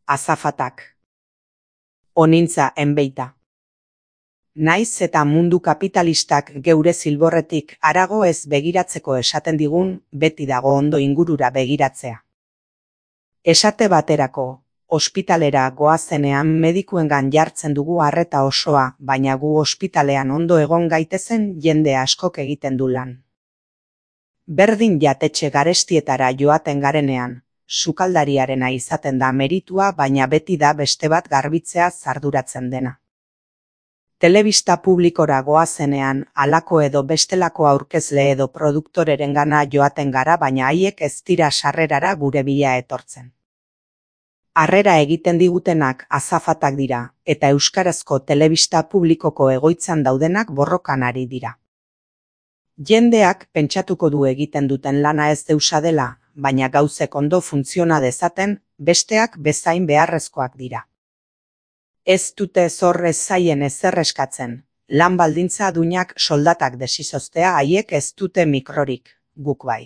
Azafatak. Onintza enbeita. Naiz eta mundu kapitalistak geure zilborretik harago ez begiratzeko esaten digun, beti dago ondo ingurura begiratzea. Esate baterako, ospitalera goazenean medikuengan jartzen dugu arreta osoa, baina gu ospitalean ondo egon gaitezen jende askok egiten du lan. Berdin jatetxe garestietara joaten garenean, sukaldariarena izaten da meritua, baina beti da beste bat garbitzea arduratzen dena. Telebista publikora goazenean, halako edo bestelako aurkezle edo produktorerengana joaten gara, baina haiek ez dira sarrerara gure bila etortzen. Harrera egiten digutenak azafatak dira, eta euskarazko telebista publikoko egoitzan daudenak borrokan ari dira. Jendeak pentsatuko du egiten duten lana ez deusa dela, baina gauzek ondo funtziona dezaten, besteak bezain beharrezkoak dira. Ez dute zor ez zaien ezer eskatzen, lan baldintza duinak soldatak desizoztea haiek ez dute mikrorik, guk bai.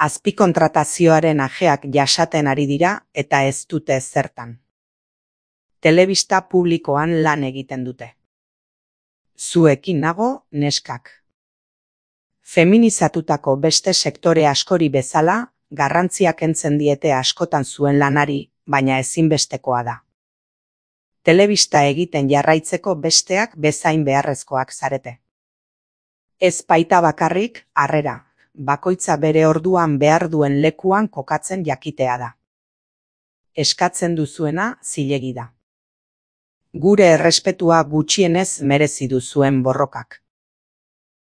Azpikontratazioaren ajeak jasaten ari dira eta ez dute zertan. Telebista publikoan lan egiten dute. Zuekin nago, neskak. Feminizatutako beste sektore askori bezala, garrantzia kentzen diete askotan zuen lanari, baina ezinbestekoa da. Telebista egiten jarraitzeko besteak bezain beharrezkoak zarete. Ez baita bakarrik, harrera, bakoitza bere orduan behar duen lekuan kokatzen jakitea da. Eskatzen duzuena zilegi da. Gure errespetua gutxienez merezi duzuen borrokak.